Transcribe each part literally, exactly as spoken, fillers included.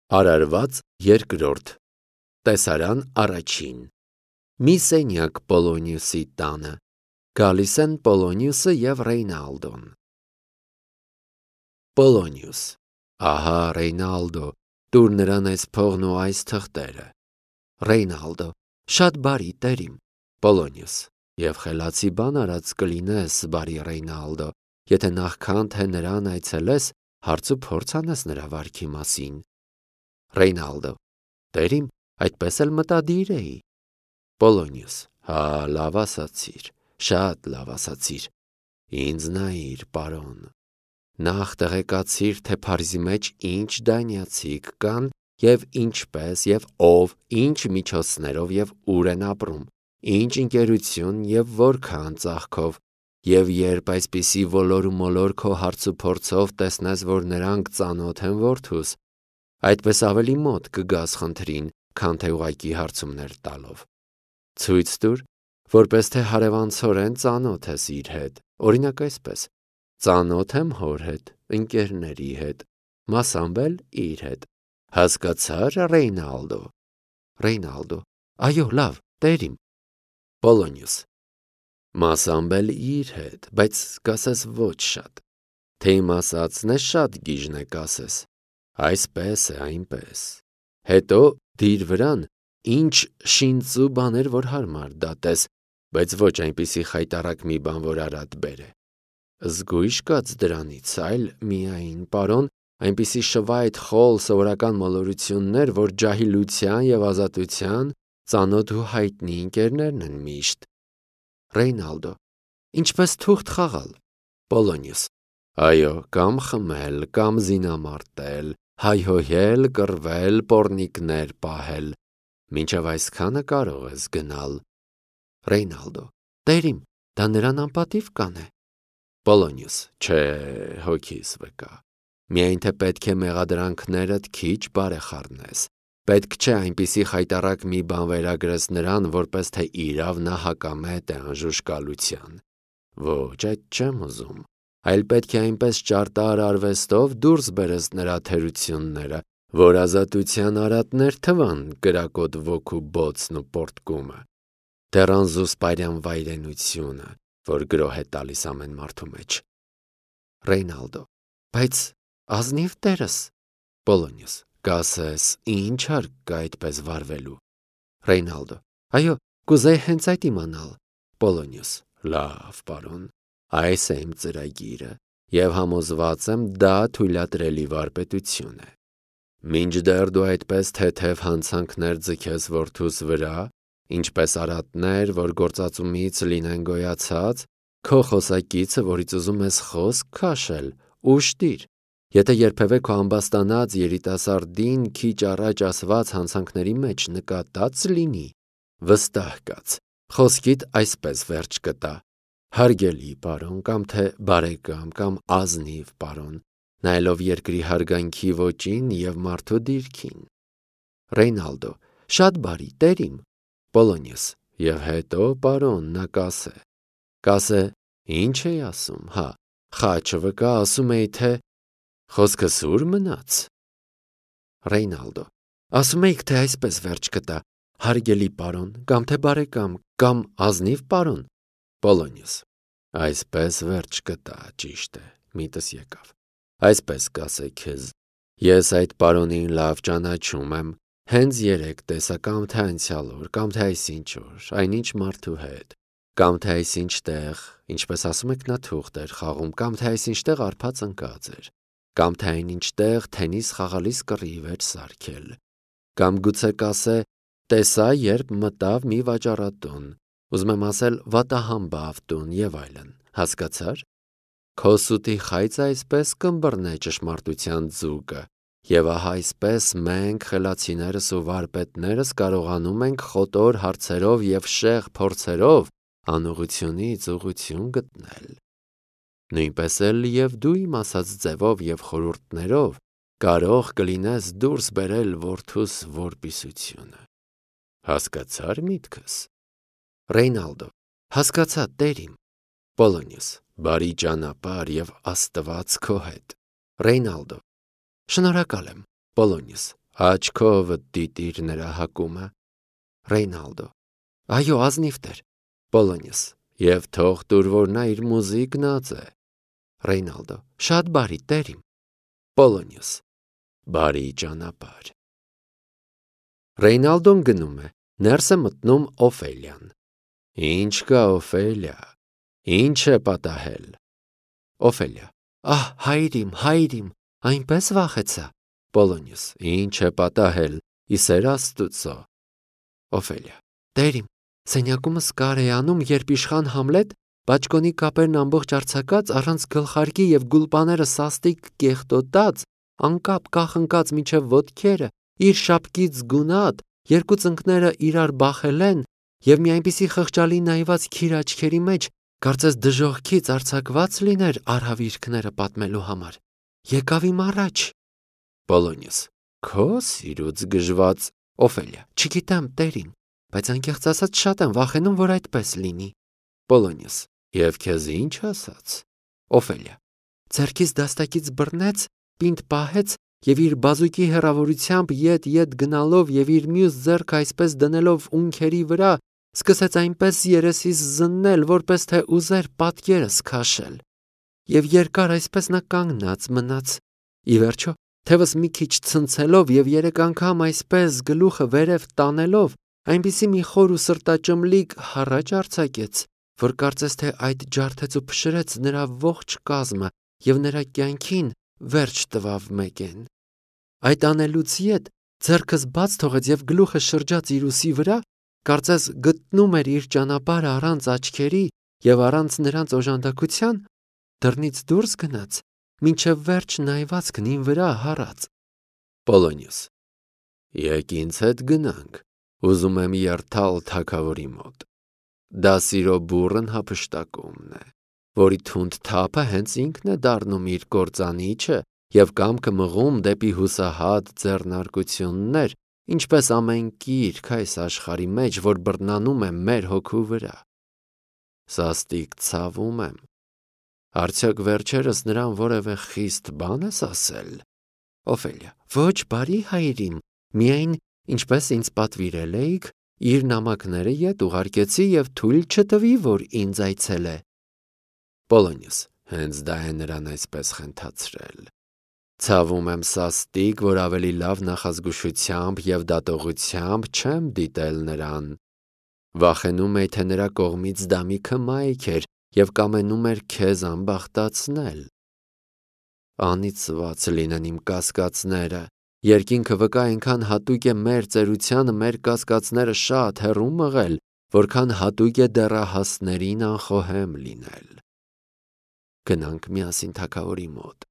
Արարված երկրորդ Տեսարան առաջին Մի սենյակ Պոլոնիուսի տանը Գալիս են Պոլոնիուսը և Ռեյնալդոն Պոլոնիուս Ահա Ռեյնալդո, տուր նրան այս փողն ու այս թղթերը Ռեյնալդո Շատ բարի տերիմ Պոլոնիուս Եվ խելացի բան արած կլինես, բարի Ռեյնալդո, եթե նախքան թե նրան այցելես, հարց ու փորձ անես նրա վարքի մասին Ռեյնալդո Տերիմ, այդպես էլ մտադիր էի Պոլոնիուս Հա, լավ ասացիր, շատ լավ ասացիր Ինձ նայիր, պարոն Նախ տեղեկացիր, թե Փարիզի մեջ ինչ դանյացիք կան և ինչպես և ով, ինչ միջոցներով և ուր են ապրում, ինչ ընկերություն և որքան ծախքով և երբ այսպիսի ոլոր ու մոլոր քո հարց ու փորձով տեսնես, որ նրանք ծանոթ են որդուս, այդպես ավելի մոտ կգաս խնդրին, քան թե ուղղակի հարցումներ տալով Ցույց տուր, որպես թե հարևանցորեն ծանոթ ես իր հետ, օրինակ այսպես Ծանոթ եմ հոր հետ, ընկերների հետ, մասամբ էլ իր հետ Հասկացա՞ր, Ռեյնալդո Ռեյնալդո Այո, լավ, տերիմ Պոլոնիուս Մասամբ էլ իր հետ, բայց կասես ոչ շատ Թե իմ ասածն է շատ գիժն է կասես Այսպես է, այնպես Հետո դիր վրան, ինչ շինծու բաներ, որ հարմար դատես, բայց ոչ այնպիսի խայտառակ մի բան, որ արատ բերե Զգույշ կաց դրանից, այլ միայն, պարոն, այնպիսի շվայտ խոլ սովորական մոլորություններ, որ ջահիլության և ազատության ծանոթ ու հայտնի ընկերներն են միշտ Ռեյնալդո Ինչպես թուղթ խաղալ Պոլոնիուս Այո, կամ խմել, կամ զինամարտել, հայհոյել, կռվել, պոռնիկներ պահել, մինչև այսքանը կարող ես գնալ Ռեյնալդո Տերիմ, դա նրան անպատիվ կանե Պոլոնիուս Չէ, հոգիս վկա Միայն թե պետք է մեղադրանքներդ քիչ բարեխառնես Պետք չէ այնպիսի խայտառակ մի բան վերագրես նրան, որպես թե իրավ նա հակամետ է անժուշկալության Ոչ, այդ չեմ ուզում Այլ պետք է այնպես ճարտար արվեստով դուրս բերես նրա թերությունները, որ ազատության արատներ թվան կրակոտ ոգու բոցն ու պոռթկումը, դեռ անզուսպարյան վայրենությունը, որ գրոհ է տալիս ամեն մարդու մեջ Ռեյնալդո Բայց ազնիվ տերս Պոլոնիուս Կասես, ինչ հարկ կա այդպես վարվելու Ռեյնալդո Այո, կուզեի հենց այդ իմանալ Պոլոնիուս Լավ, պարոն Այս է իմ ծրագիրը և համոզված եմ դա թույլատրելի վարպետություն է Մինչդեռ դու այդպես թեթև հանցանքներ ձգես որդուս վրա, ինչպես արատներ, որ գործածումից լինեն գոյացած, քո խոսակիցը, որից ուզում ես խոսք քաշել, ուշտիր, եթե երբևէ քո ամբաստանած երիտասարդին քիչ առաջ ասված հանցանքների մեջ նկատած լինի, վստահ կաց, խոսքիդ այսպես վերջ կտա Հարգելի պարոն, կամ թե բարեկամ, կամ ազնիվ պարոն, նայելով երկրի հարգանքի ոճին և մարդու դիրքին Ռեյնալդո Շատ բարի, տերիմ Պոլոնիուս Եվ հետո, պարոն, նա կասե Կասե, ինչ էի ասում, հա, խաչը վկա, ասում էի, թե Խոսքը սուր մնաց Ռեյնալդո Ասում էիք, թե այսպես վերջ կտա Հարգելի պարոն, կամ թե բարեկամ, կամ ազնիվ պարոն Պոլոնիուս Այսպես վերջ կտա, ճիշտ է, միտս եկավ Այսպես կասե քեզ Ես այդ պարոնին լավ ճանաչում եմ Հենց երեկ տեսա կամ թե անցյալ օր, կամ թե այսինչ օր, այնինչ մարդու հետ Կամ թե այսինչ տեղ, ինչպես ասում եք նա թուղթ էր խաղում Կամ թե այսինչ տեղ արբած ընկած էր Կամ թե այնինչ տեղ թենիս խաղալիս կռիվ էր սարքել Կամ գուցե կասե Տեսա, երբ մտավ մի վաճառատուն Ուզում եմ ասել վատահամբավ տուն և այլն, հասկացա՞ր Քո սուտի խայծը այսպես կըմբռնե ճշմարտության ձուկը Եվ ահա այսպես մենք խելացիներս ու վարպետներս կարողանում ենք խոտոր հարցերով և շեղ փորձերով անուղությունից ուղղություն գտնել Նույնպես էլ և դու իմ ասած ձևով և խորհուրդներով կարող կլինես դուրս բերել որդուս որպիսությունը Հասկացա՞ր միտքս Ռեյնալդո Հասկացա, տերիմ Պոլոնիուս Բարի ճանապարհ և Աստված քո հետ Ռեյնալդո Շնորհակալ եմ Պոլոնիուս Աչքովդ դիտիր նրա հակումը։ Ռեյնալդո. Այո, ազնիվ տեր։ Պոլոնիոս. Եվ թող տուր, որ նա իր մուզի գնաց է։ Ռեյնալդո. Շատ բարի, տեր իմ։ Պոլոնիոս. Բարի ճանապարհ։ Ռեյնալդոն գնում է, ներս է մտնում Օֆելիան։ Ինչ կա, Օֆելիա, ինչ է պատահել։ Օֆելիա. Ահ, հայր իմ, հայր իմ, այնպես վախեցա։ Պոլոնիոս. Ինչ է պատահել, իսեր Աստուծո։ Օֆելիա. Տեր իմ, սենյակումս կար է անում, երբ իշխան Համլետ բաճկոնի կապերն ամբողջ արձակած, առանց գլխարկի և գուլպաները սաստիկ կեղտոտած, անկապ կախնկած մինչև ոտքերը, իր շապկից գունատ, երկու ծնկները իրար բախել են և մի այնպիսի խղճալի նայված քիր աչքերի մեջ, կարծես դժոխքից արձակված լիներ արհավիրքները պատմելու համար։ Եկավ իմ առաջ։ Պոլոնիոս. Քո սիրուց գժված։ Օֆելիա. Չգիտեմ, տեր իմ, բայց անկեղծ ասած շատ եմ վախենում, որ այդպես լինի։ Պոլոնիոս. Եվ քեզ ինչ ասաց։ Օֆելիա. Ձեռքից դաստակից բռնեց, պինդ պահեց և իր բազուկի հեռավորությամբ ետ-ետ գնալով և իր մյուս ձեռքը այսպես դնելով ունքերի վրա, սկսեց այնպես երեսիս զննել, որպես թե ուզեր պատկերս քաշել։ Եվ երկար այսպես նա կանգնած մնաց։ Ի վերջո, թևս մի քիչ ցնցելով և երեք անգամ այսպես գլուխը վերև տանելով, այնպիսի մի խոր ու սրտաճմլիկ հառաչ արձակեց, որ կարծես թե այդ ջարդեց ու փշրեց նրա ողջ կազմը և նրա կյանքին վերջ տվավ մեկեն։ Այդ անելուց ետ ձեռքս բաց թողեց և գլուխը շրջաց իր ուսի վրա, կարծես գտնում էր իր ճանապարհը առանց աչքերի և առանց նրանց օժանդակության, դռնից դուրս գնաց, մինչև վերջ նայվածքն իմ վրա հառած։ Պոլոնիոս. Եկ ինձ հետ գնանք, ուզում եմ երթալ թագավորի մոտ։ Դա սիրո բուռն հափշտակումն է, որի թունդ թափը հենց ինքն է դառնում իր կործանիչը և կամքը մղում դեպի հուսահատ ձեռնարկություններ, ինչպես ամեն կիրք այս աշխարհի մեջ, որ բռնանում է մեր հոգու վրա։ Սաստիկ ցավում եմ։ Արդյոք վերջերս նրան որևէ խիստ բան ես ասել։ Օֆելիա. Ոչ, բարի հայր իմ, միայն, ինչպես ինձ պատվիրել էիք, իր նամակները ետ ուղարկեցի և թույլ չտվի, որ ինձ այցելե։ Պոլոնիոս. Հենց դա է նրան այսպես խենթացրել։ Ցավում եմ սաստիկ, որ ավելի լավ նախազգուշությամբ և դատողությամբ չեմ դիտել նրան։ Վախենում էի, թե նրա կողմից դա մի քմայք էր և կամենում էր քեզ ամբախտացնել։ Անիծված լինեն իմ կասկածները, երկինքը վկա այնքան հատուկ է մեր ծերությանը մեր կասկածները շատ հեռու մղել, որքան հատուկ է դեռահասներին անխոհեմ լինել։ Գնանք միասին թագավորի մոտ։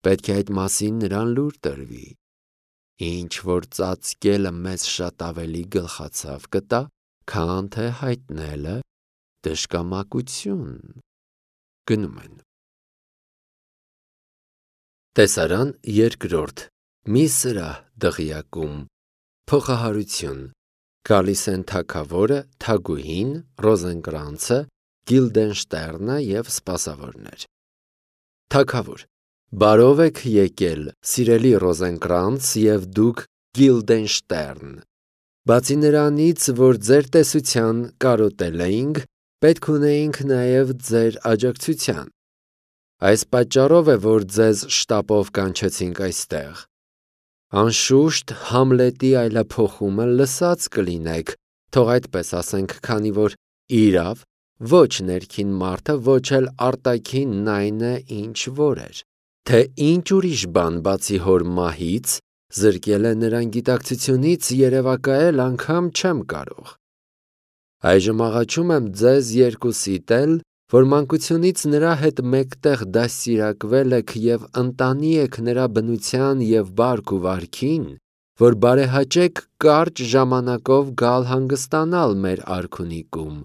Պետք է այդ մասին նրան լուր տրվի։ Ինչ որ ծածկելը մեզ շատ ավելի գլխացավ կտա, քան թե հայտնելը դժկամակություն։ Գնում են։ Տեսարան երկրորդ։ Մի սրահ դղյակում։ Փոխահարություն։ Գալիս են թագավորը, թագուհին, Ռոզենկրանցը, Գիլդենշտերնը և սպասավորներ։ Թագավոր. Բարով եք եկել, սիրելի Ռոզենկրանց և դուք Գիլդենշտերն։ Բացի նրանից, որ ձեր տեսության կարոտել էինք, պետք ունեինք նաև ձեր աջակցության։ Այս պատճառով է, որ ձեզ շտապով կանչեցինք այստեղ։ Անշուշտ Համլետի այլափոխումը լսած կլինեք, թող այդպես ասենք, քանի որ իրավ, ոչ ներքին մարդը, ոչ էլ արտաքինն այն է, ինչ որ էր, թե ինչ ուրիշ բան բացի հոր մահից զրկել է նրան գիտակցությունից երևակայել անգամ չեմ կարող։ Այժմ աղաչում եմ ձեզ երկուսիդ էլ, որ մանկությունից նրա հետ մեկտեղ դաստիարակվել եք և ընտանի եք նրա բնության և բարք ու վարքին, որ բարեհաճեք կարճ ժամանակով գալ հանգստանալ մեր արքունիքում,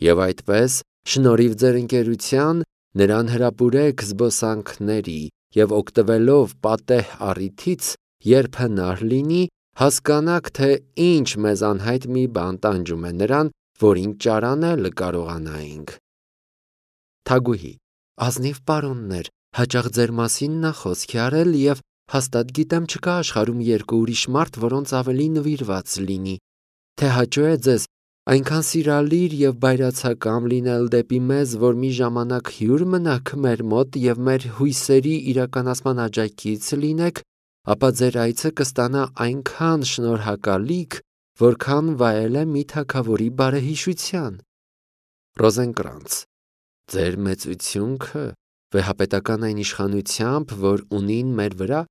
և այդպես, շնորհիվ ձեր ընկերության, նրան հրապուրեք զբոսանքների և օգտվելով պատեհ առիթից, երբ հնար լինի, հասկանաք, թե ինչ մեզ անհայտ մի բան տանջում է նրան, որին ճարանել կարողանայինք։ Թագուհի. Ազնիվ պարոններ, հաճախ ձեր մասին նա խոսք է արել և Հաստատ գիտեմ չկա աշխարհում երկու ուրիշ մարդ, որոնց ավելի նվիրված լինի, թե հաճո է ձեզ այնքան սիրալիր եւ բայրացակամ լինել դեպի մեզ, որ մի ժամանակ հյուր մնաք մեր մոտ եւ մեր հույսերի իրականացման աջակից լինեք, ապա ձեր այցը կստանա այնքան շնորհակալիք, որքան վայել է մի թագավորի բարեհիշության։ Ռոզենկրանց, ձեր մեծությունքը վեհապետական այն իշխանությամբ, որ ունին մեր վրա,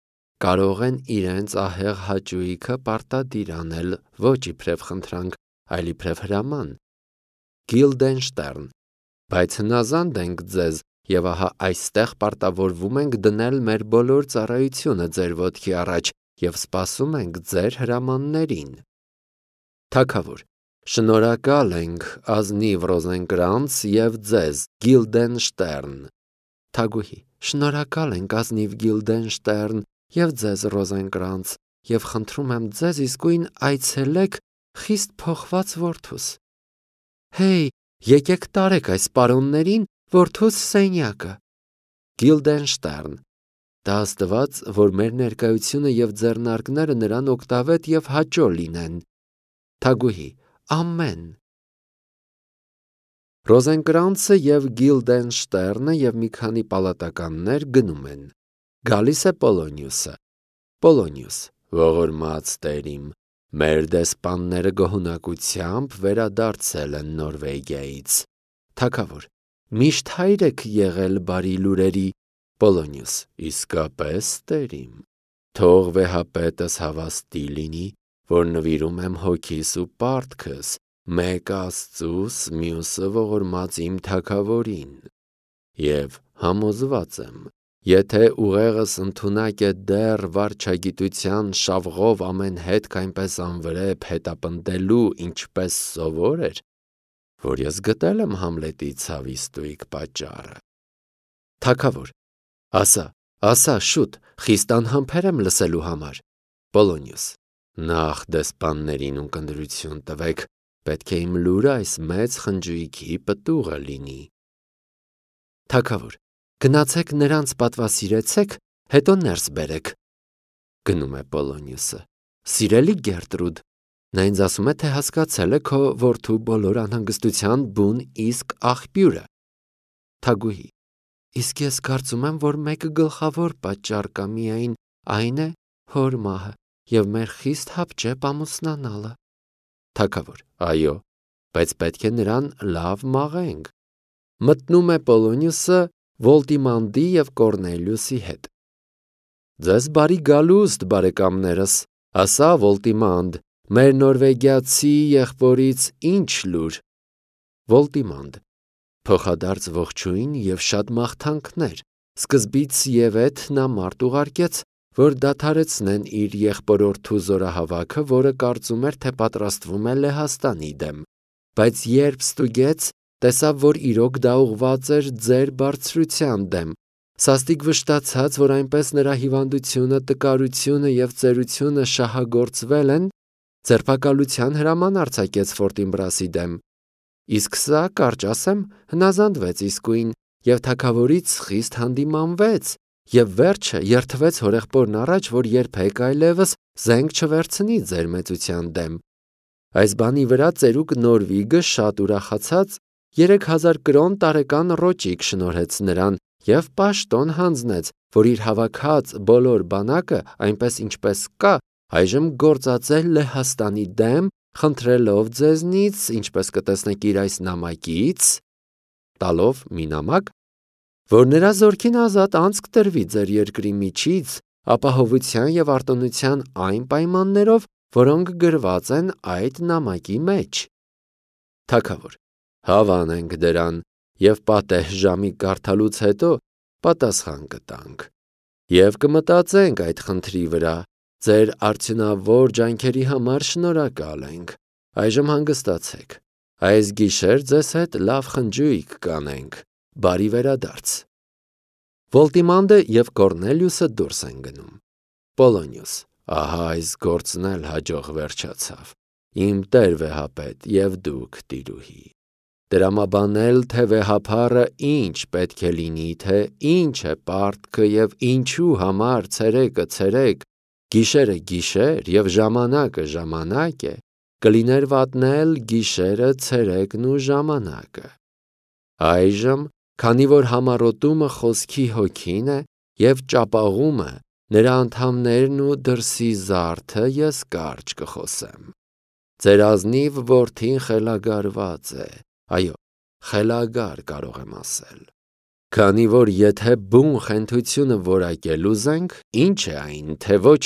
կարող են իրենց ահեղ հաճույքը պարտադիր անել ոչ իբրև խնդրանք, այլ իբրև հրաման։ Գիլդենշտերն, բայց հնազանդ ենք ձեզ եւ ահա այստեղ պարտավորվում ենք դնել մեր բոլոր ծառայությունը ձեր ոտքի առաջ եւ սպասում ենք ձեր հրամաններին։ Թագավոր, շնորհակալ ենք ազնիվ Ռոզենկրանց եւ ձեզ Գիլդենշտերն։ Թագուհի, շնորհակալ ենք ազնիվ Գիլդենշտերն եւ ձեզ Ռոզենկրանց եւ խնդրում եմ ձեզ իսկույն այցելեք խիստ փոխված որդուս։ Հեյ, եկեք տարեք այս պարոններին որդուս սենյակը։ Գիլդենշտերն, դա աստված, որ մեր ներկայությունը եւ ձեռնարկները նրան օգտավետ եւ հաճո լինեն։ Թագուհի, ամեն։ Ռոզենկրանցը եւ Գիլդենշտերնը եւ մի քանի պալատականներ գնում են։ Գալիս է Պոլոնիուսը։ Պոլոնիուս, ողորմած տերիմ, մեր դեսպանները գոհունակությամբ վերադարձել են Նորվեգիայից։ Թագավոր, միշտ հայր եք եղել բարի լուրերի։ Պոլոնիուս, իսկապես տերիմ, թող վեհապետս հավաստի լինի, որ նվիրում եմ հոգիս ու պարտքս, մեկ Աստծուս, մյուսը ողորմած իմ թագավորին։ Եվ համոզված եմ, եթե ուղեղս ընդունակ է դեռ վարչագիտության շավղով ամեն հետք այնպես անվրեպ հետապնդելու, ինչպես սովոր էր, որ ես գտել եմ Համլետի ցավի ստույգ պատճառը։ Թագավոր, ասա, ասա շուտ, խիստ անհամբեր եմ լսելու համար։ Պոլոնիուս, նախ դեսպաններին ունկնդրություն տվեք, պետք է իմ լուրը այս մեծ խնջույքի պտուղը լինի։ Թագավոր, գնացեք նրանց պատվասիրեցեք, հետո ներս բերեք։ Գնում է Պոլոնիուսը։ Սիրելի Գերտրուդ, նա ինձ ասում է, թե հասկացել է քո որդու բոլոր անհանգստության բուն իսկ աղբյուրը։ Թագուհի, իսկ ես կարծում եմ, որ մեկ գլխավոր պատճառ կա միայն այն է հոր մահը եւ մեր խիստ հապճեպ ամուսնանալը։ Թագավոր, այո, բայց պետք է նրան լավ մաղենք։ Մտնում է Պոլոնիուսը Վոլտիմանդի եւ Կորնելիուսի հետ։ Ձեզ բարի գալուստ, բարեկամներս, ասա Վոլտիմանդ, մեր նորվեգիացի եղբորից ինչ լուր։ Վոլտիմանդ, փոխադարձ ողջույն եւ շատ մաղթանքներ։ Սկզբից եւ էդ նա մարդ ուղարկեց, որ դադարեցնեն իր եղբորորդու զորահավաքը, որը կարծում էր, թե պատրաստվում է Լեհաստանի դեմ, բայց երբ ստուգեց, տեսավ, որ իրոք դա ուղված էր ձեր բարձրության դեմ, սաստիկ վշտացած, որ այնպես նրա հիվանդությունը, տկարությունը եւ ծերությունը շահագործվել են, ձերբակալության հրաման արձակեց Ֆորտինբրասի դեմ։ Իսկ սա, կարճ ասեմ, հնազանդվեց իսկույն եւ թագավորից խիստ հանդիմանվեց եւ վերջը երթվեց հորեղբորն առաջ, որ երբեք այլևս զենք չվերցնի ձեր մեծության դեմ։ Այս բանի վրա ծերուկ Նորվիգը շատ ուրախացած երեք հազար կրոն տարեկան ռոճիկ շնորհեց նրան եւ պաշտոն հանձնեց, որ իր հավաքած բոլոր բանակը, այնպես ինչպես կա, այժմ գործածել Լեհաստանի դեմ, խնդրելով ձեզնից, ինչպես կտեսնեք իր այս նամակից, տալով մի նամակ, որ նրա զորքին ազատ անցք տրվի ձեր երկրի միջից, ապահովության եւ արտոնության այն պայմաններով, որոնք գրված են այդ նամակի մեջ։ Թագավոր, հավանենք դրան եւ պատեհ ժամի կարդալուց հետո պատասխան կտանք եւ կմտածենք այդ խնդրի վրա։ Ձեր արդյունավոր ջանքերի համար շնորհակալ ենք։ Այժմ հանգստացեք։ Այս գիշեր ձեզ հետ լավ խնջույք կանենք։ Բարի վերադարձ։ Վոլտիմանդը եւ Կորնելիուսը դուրս են գնում։ Պոլոնիուս, ահա այս գործն էլ հաջող վերջացավ։ Իմ տեր վեհապետ եւ դուք տիրուհի։ դրամաբանել, թե վեհափառը ինչ պետք է լինի, թե ինչ է պարտքը և ինչու համար ցերեկը ցերեկ, գիշերը գիշեր և ժամանակը ժամանակ է, կլիներ վատնել գիշերը, ցերեկն ու ժամանակը։ Այժմ, քանի որ համառոտումը խոսքի հոգին է և ճապաղումը նրա անդամներն ու դրսի զարդը, ես կարճ կխոսեմ։ Ձեր ազնիվ որդին խելագարված է, այո, խելագար կարող եմ ասել։ Քանի որ եթե բուն խենթությունը որակել ուզենք, ինչ է այն, թե ոչ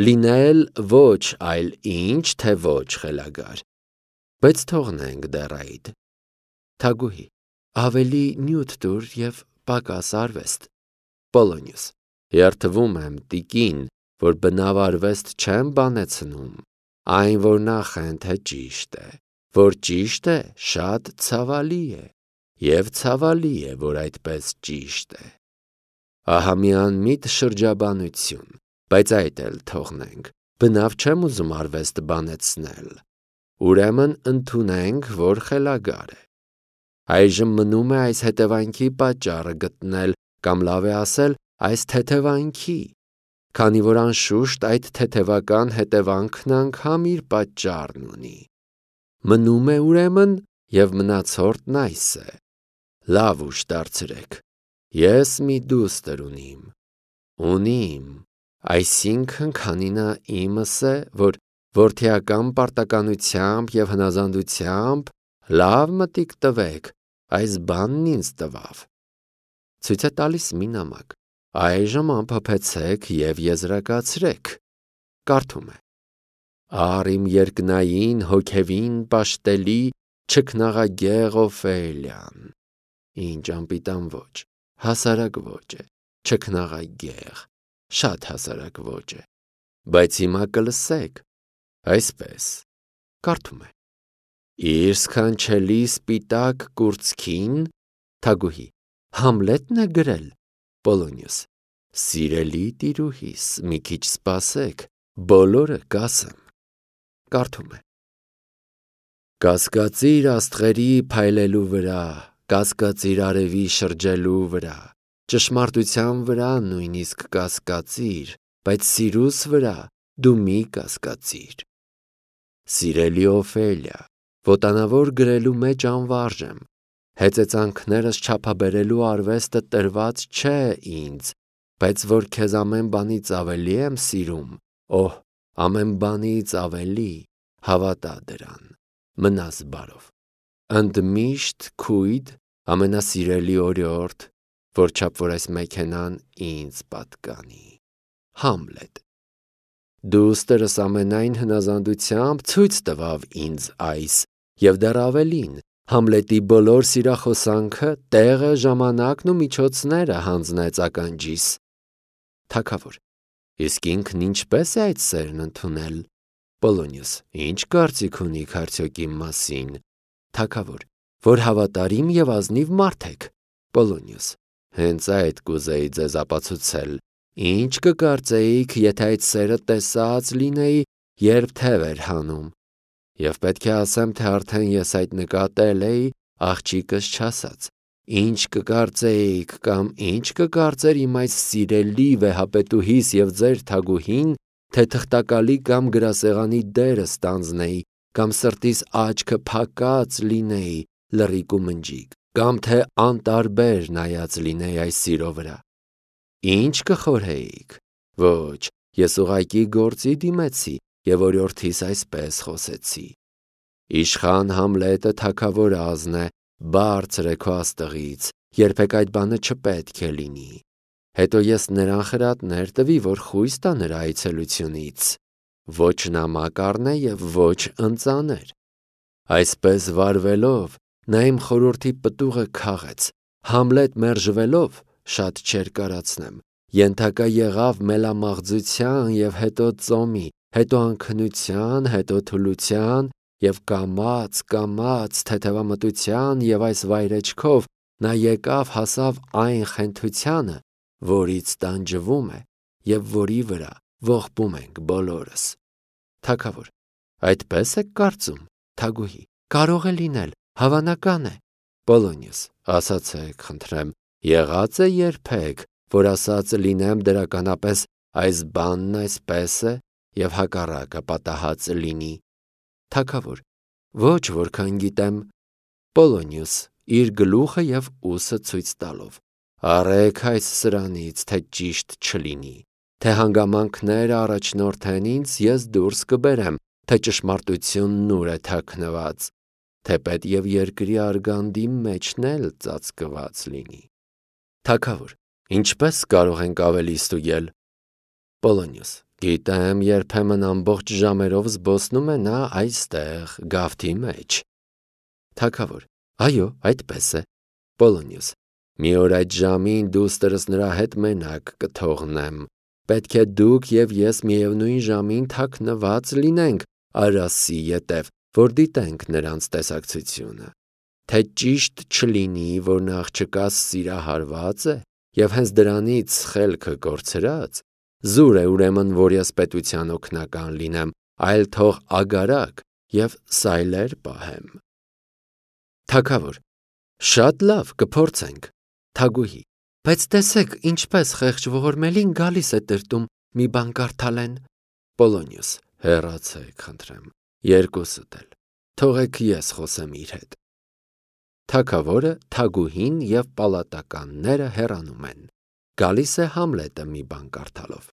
լինել, ոչ այլ ինչ, թե ոչ խելագար։ Բայց թողնենք դեռ այդ։ Թագուհի, ավելի նյութ տուր և պակաս արվեստ։ Պոլոնիոս, երդվում եմ տիկին, որ բնավ արվեստ չեմ բանեցնում, այն որ նա խենթ է ճիշտ է, որ ճիշտ է շատ ցավալի է, և ցավալի է, որ այդպես ճիշտ է։ Ահա մի անմիտ շրջաբանություն, բայց այդ էլ թողնենք, բնավ չեմ ուզում արվեստ բանեցնել, ուրեմն ընդունենք, որ խելագար է։ Այժմ մնում է այս հետևանքի պատճառը գտնել կամ լավ է ասել այս թեթևանքի, քանի որ անշուշտ այդ թեթևական հետևանքն անգամ իր պատճառն ունի։ Մնում է ուրեմն և մնացորդն այս է. լավ ուշ դարձրեք, ես մի դուստր ունիմ, ունիմ, այսինքն քանի նա իմս է, որ որդիական պարտականությամբ և հնազանդությամբ լավ մտիկ տվեք, այս բանն ինձ տվավ։ Ցույց է տալիս մի նամակ, այժմ ամփոփեցեք և եզրակացրեք։ Կարդում է. Առ իմ երկնային հոգևին պաշտելի չքնաղագեղ Օֆելիան, ինչ անպիտան ոճ, հասարակ ոճ է, չքնաղագեղ, շատ հասարակ ոճ է, բայց հիմա կլսեք, այսպես, կարդում է. Իր սքանչելի սպիտակ կուրծքին, Թագուհի, Համլետն է գրել, Պոլոնիոս, սիրելի տիրուհիս, մի քիչ սպասեք, բոլորը կասեմ, կարդում է. Կասկածիր աստղերի փայլելու վրա, կասկածիր արևի շրջելու վրա, ճշմարտության վրա նույնիսկ կասկածիր, բայց սիրուս վրա դու մի կասկածիր։ Սիրելի Օֆելիա, ոտանավոր գրելու մեջ անվարժ եմ, հեծեծանքներս չափաբերելու արվեստը տրված չէ ինձ, բայց որ քեզ ամեն բանից ավելի եմ սիրում, օհ, ամեն բանից ավելի, հավատա դրան, մնաս բարով։ Ընդմիշտ քույդ, ամենասիրելի օրիորդ, որչափ որ այս մեքենան ինձ պատկանի։ Համլետ։ Դուստրս ամենայն հնազանդությամբ ցույց տվավ ինձ այս, և դեռ ավելին, Համլետի բոլոր սիրախոսանքը, տեղը, ժամանակն ու միջոցները հանձնեց ականջիս։ Թագավոր. Իսկ ինքն ինչպե՞ս է այդ սերն ընդունել։ Պոլոնիոս. Ինչ կարծիք ունիք արդյոք իմ մասին։ Թագավոր. Որ հավատարիմ և ազնիվ մարդ եք։ Պոլոնիոս. Հենց այդ կուզեի ձեզ ապացուցել։ Ինչ կկարծեիք, եթե այդ սերը տեսած լինեի, երբ թև էր հանում։ Եվ պետք է ասեմ, թե արդեն ես այդ նկատել էի, աղջիկս չասած։ Ինչ կկարծեիք կամ ինչ կկարծեր իմ այս սիրելի վեհապետուհիս և ձեր թագուհին, թե թղթակալի կամ գրասեղանի դերը ստանձնեի, կամ սրտիս աչքը փակած լինեի, լռիկ ու մնջիկ, կամ թե անտարբեր նայած լինեի այս սիրո վրա։ Ինչ կխորհեիք։ Ոչ, ես ուղղակի գործի դիմեցի և օրիորդիս այսպես խոսեցի. Իշխան Համլետը թագավոր ազն է, բարձր է քո աստղից, երբեք այդ բանը չպետք է լինի։ Հետո ես նրան խրատներ տվի, որ խույս տա նրա այցելությունից, ոչ նամակ առնե և ոչ ընծաներ։ Այսպես վարվելով, նա իմ խորհրդի պտուղը քաղեց, Համլետ մերժվելով, շատ չէր կարացնեմ, ենթակա եղավ մելամաղձության և հետո ծոմի, հետո անքնության, հետո թուլության և կամաց, կամաց թեթևամտության և այս վայրեջքով նա եկավ հասավ այն խենթությանը, որից տանջվում է և որի վրա ողբում ենք բոլորս։ Թագավոր. Այդպես եք կարծում, Թագուհի, կարող է լինել, Հավանական է։ Պոլոնիոս, ասացեք, խնդրեմ, եղած է երբեք, որ ասած լինեմ դրականապես այս բանն այսպես է և հակառակը պատահած լինի։ Թագավոր, ոչ որքան գիտեմ։ Պոլոնիոս, իր գլուխը և ուսը ցույց տալով, առեք այս սրանից, թե ճիշտ չլինի, թե հանգամանքները առաջնորդեն ինձ, ես դուրս կբերեմ, թե ճշմարտությունն ուր է թաքնված, թեպետ և երկրի արգանդի մեջն էլ ծածկված լինի։ Թագավոր, ինչպե՞ս կարող ենք ավելի ստուգել։ Պոլոնիոս, գիտեմ, երբեմն ամբողջ ժամերով զբոսնում է նա այստեղ, գավթի մեջ։ Թագավոր, այո, այդպես է։ Պոլոնիոս, մի օր այդ ժամին դուստրս նրա հետ մենակ կթողնեմ, պետք է դուք և ես միևնույն ժամին թաքնված լինենք արասի ետև, որ դիտենք նրանց տեսակցությունը, թե ճիշտ չլինի, որ նա աղջկաս սիրահարված է և հենց դրանից խելքը կորցրած, զուր է ուրեմն, որ ես պետության օգնական լինեմ, այլ թող ագարակ և սայլեր պահեմ։ Թագավոր, շատ լավ, կփորձենք։ Թագուհի, բայց տեսեք, ինչպես խեղճ ողորմելին գալիս է տրտում մի բան կարդալեն։ Պոլոնիոս, հեռացեք, խնդրեմ, երկուսդ էլ, թողեք ես խոսեմ իր հետ։ Թագավորը, թագուհին և պալատականները հեռանում են։ Գալիս է Համլետը մի բան կարդալով։